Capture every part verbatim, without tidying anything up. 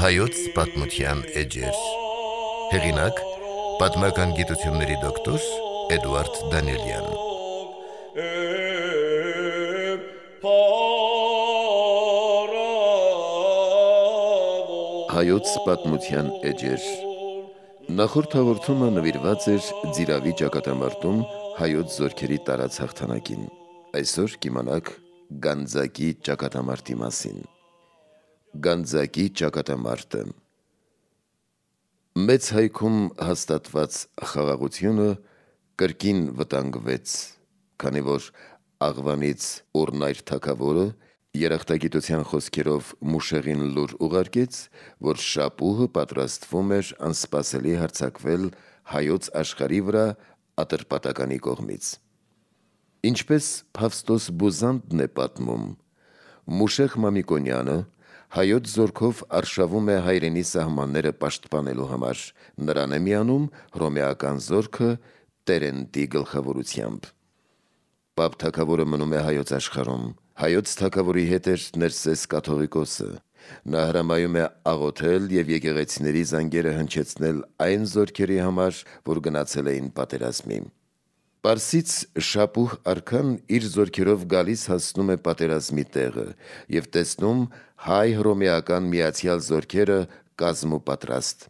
Հայոց պատմության էջեր։ Հեղինակ՝ պատմական գիտությունների դոկտոր Էդուարդ Դանիելյան։ Հայոց պատմության էջեր։ Նախորդ հաղորդումը նվիրված էր Ձիրավի ճակատամարտում հայոց զորքերի տարած հաղթանակին։ Այսօր կիմանաք Գանձակի ճակատամարտի մասին։ Գանձակի ճակատամարտը։ Մեծ հայքում հաստատված խաղաղությունը կրկին վտանգվեց, քանի որ Աղվանից Օռնայր թագավորը երախտագիտության խոսքերով Մուշեղին լուր ուղարկեց, որ Շապուհը պատրաստվում էր անսպասելի հարձակվել հայոց աշխարհի վրա Ատրպատականի կողմից։ Ինչպես Փավստոս Բուզանդն է պատմում, Մուշեղ Մամիկոնյանը հայոց զորքով արշավում է հայրենի սահմանները պաշտպանելու համար, նրան է միանում հռոմեական զորքը Տերենտի գլխավորությամբ։ Պապ թագավորը մնում է հայոց աշխարհում, հայոց թագավորի հետ էր Ներսես կաթողիկոսը, նա հրամայում է աղոթել և եկեղեցիների զանգերը հնչեցնել այն զորքերի համար, որ գնացել էին պատերազմի։ Պարսից Շապուհ արքան իր զորքերով գալիս հասնում է պատերազմի տեղը և տեսնում հայ-հռոմեական միացյալ զորքերը կազմուպատրաստ։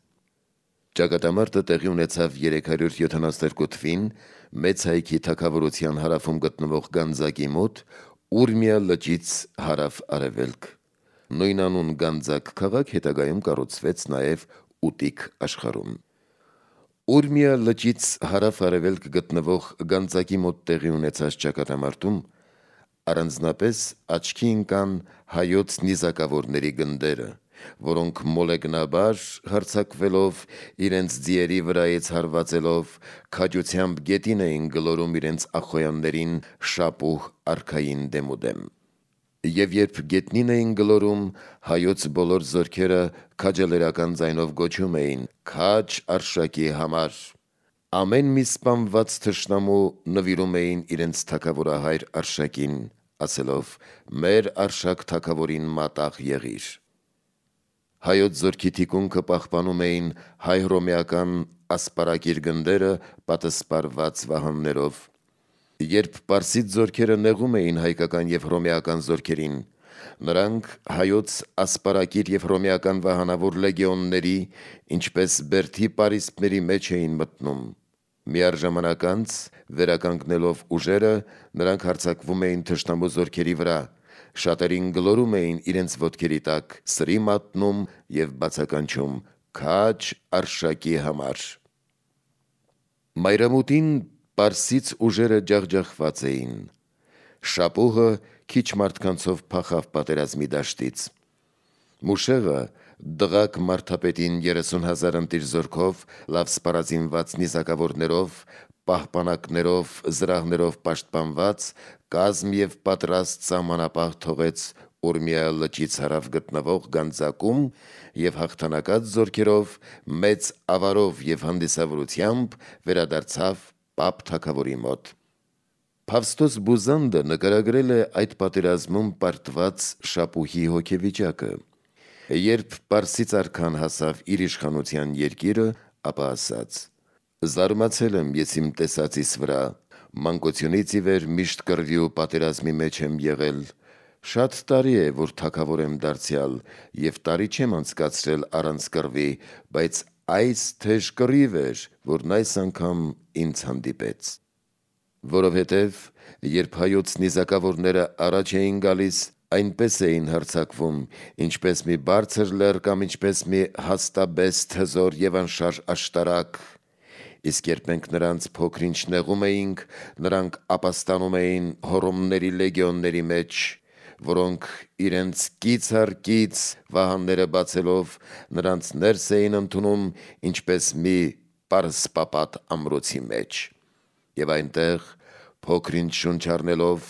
Ճակատամարտը տեղի ունեցավ երեք հարյուր յոթանասունյոթ թվին Մեծ հայքի թագավորության հարավում գտնվող Գանձակի մոտ, Ուրմիա լճից հարավ-արևելք։ Նույնանուն Գանձակ քաղաք հետագայում կառուցվեց նաև Ուտիկ աշխարհում։ Ուրմիա լճից հարավ-արևելք գտնվող Գանձակի մոտ տեղի ունեցած ճակատամարտում առանձնապես աչքի ընկան հայոց նիզակավորների գնդերը, որոնք մոլեգնաբար հարձակվելով, իրենց ձիերի վրայից հարվածելով, քաջությամբ գետին էին գլորում իրենց ախոյաններին Շապուհ արքային դեմուդեմ։ Եվ երբ գետնին էին գլորում, հայոց բոլոր զորքերը քաջալերական ձայնով գոչում էին. «Քաջ Արշակի համար»։ Ամեն մի սպանված թշնամու նվիրում էին իրենց թագավորահայր Արշակին, ասելով. «Մեր Արշակ թագավորին մատաղ եղիր»։ Հայոց զորքի թիկունքը պահպանում էին հայ-հռոմեական ասպարակիր գնդերը պատսպարված վահաններով։ Երբ պարսից զորքերը նեղում էին հայկական և հռոմեական զորքերին, նրանք հայոց ասպարակիր և հռոմեական վահանավոր լեգիոնների, ինչպես բերդի պարիսպների մեջ էին մտնում։ Միառժամանակ անց, վերականգնելով ուժերը, նրանք հարձակվում էին թշնամու զորքերի վրա, շատերին գլորում էին իրենց ոտքերի տակ, սրի մատնում և բացականչում. «Քաջ Արշակի համար»։ Մայրամուտին պարսից ուժերը ջախջախված էին։ Շապուհը քիչ մարդկանցով փախավ պատերազմի դաշտից։ Մուշեղը դղակ մարդապետին երեսուն հազար ընտիր զորքով, լավ սպառազինված նիզակավորներով, պահպանակներով, զրահներով պաշտպանված կազմ և պատրաստ սահմանապահ թողեց Ուրմիա լճից հարավ գտնվող Գանձակում և հաղթանակած զորքերով, մեծ ավարով և հանդիսավորությամբ վերադարձավ Պապ թագավորի մոտ։ Փավստոս Բուզանդը նկարագրել է այդ պատերազմում պարտված Շապուհի հոգեվիճակը։ Երբ պարսից արքան հասավ իր իշխանության երկիրը, ապա ասաց. «Զարմացել եմ ես իմ տեսածիս վրա, մանկությունից ի վեր միշտ կռվի ու պատերազմի մեջ եմ եղել։ Շատ տարի է, որ թագավոր եմ դարձյալ, և տարի չեմ անցկացրել առանց կռվի, բայց այս թեժ կռիվ էր, որն այս անգամ ինձ հանդիպեց։ Որովհետև երբ հայոց նիզակավորները առաջ էին գալիս, այնպես էին հարձակվում, ինչպես մի բարձր լեռ կամ ինչպես մի հաստաբեստ հզոր և անշարժ աշտարակ, իսկ երբ մենք նրանց փոքր-ինչ նեղում էինք, նրանք ապաստանում էին հոռոմների լեգիոնների մեջ, որոնք իրենց կից առ կից վահանները բացելով, նրանց ներս էին ընդունում, ինչպես մի պարսպապատ ամրոցի մեջ, և այնտեղ փոքր-ինչ շունչ առնելով,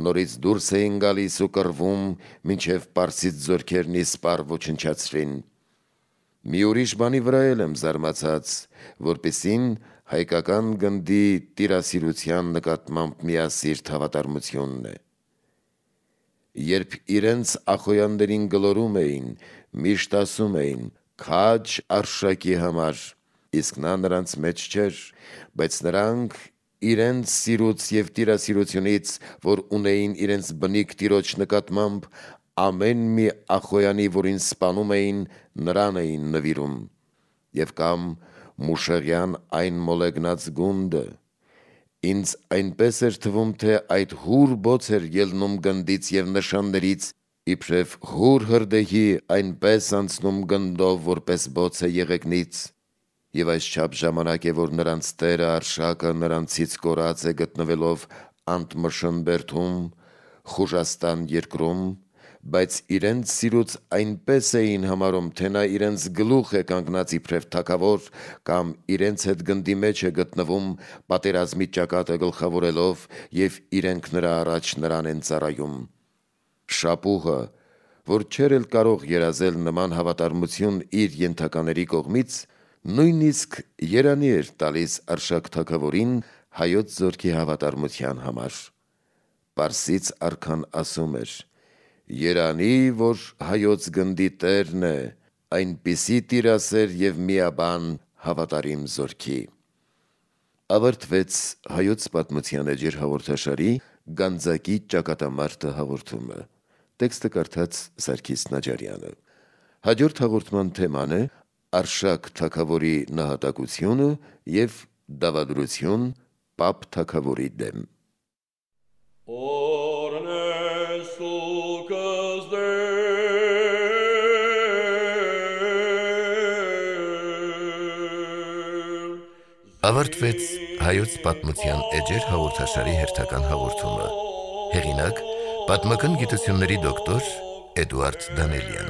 նորից դուրս էին գալիս ու կռվում, մինչև պարսից զորքերն իսպառ ոչնչացրին։ Մի ուրիշ բանի վրա էլ եմ զարմացած, որպեսզի հայկական գնդի տիրասիրության նկատմամբ միասիրտ հավատարմությունն է։ Երբ իրենց ախոյաններին գլորում էին, միշտ ասում էին քաջ արշակի համար, իսկ նա նրանց մեջ չէր, բայց նրանք իրենց սիրուց և տիրասիրությունից, որ ունեին իրենց բնիկ տիրոջ նկատմամբ, ամեն մի ախոյանի, որին սպանում էին, նրան էին նվիրում, և կամ մուշեղյան այն մոլեգնած գունդը, ինձ այնպես էր թվում, թե այդ հուր բոց էր ելնում գնդից և նշաններից, իբրև հուր հրդեհի այնպես անցնում գնդով, որպես բոց է եղեգնից, և այսչափ ժամանակ է, որ նրանց տերը արշակը նրանցից կորած է գտնվելով Անտմշն բերդում, Խուժաստան երկրում, բայց իրենց սիրուց այնպես էին համարում, թե նա իրենց գլուխ է կանգնած իբրև թագավոր, կամ իրենց հետ գնդի մեջ է գտնվում, պատերազմի ճակատը գլխավորելով, և իրենք նրա առաջ նրան են ծառայում։ Շապուհը, որ չէր էլ կարող երազել նման հավատարմություն իր ենթակաների կողմից, նույնիսկ երանի էր տալիս Արշակ թագավորին հայոց զորքի հավատարմության համար։ Պարսից արքան ասում էր. «Երանի, որ հայոց գնդի տերն է, այնպիսի տիրասեր և միաբան հավատարիմ զորքի»։ Ավարտվեց Հայոց պատմության էջեր հաղորդաշարի Գանձակի ճակատամարտը հաղորդումը։ Տեքստը կարդաց Սարգիս Նաջարյանը։ Հաջորդ հաղորդման թեման է Արշակ թագավորի նահատակությունը և դավադրություն Պապ թագավորի դեմ։ Ավարտվեց Հայոց պատմության էջեր հաղորդաշարի հերթական հաղորդումը։ Հեղինակ՝ պատմական գիտությունների դոկտոր Էդուարդ Դանելյան։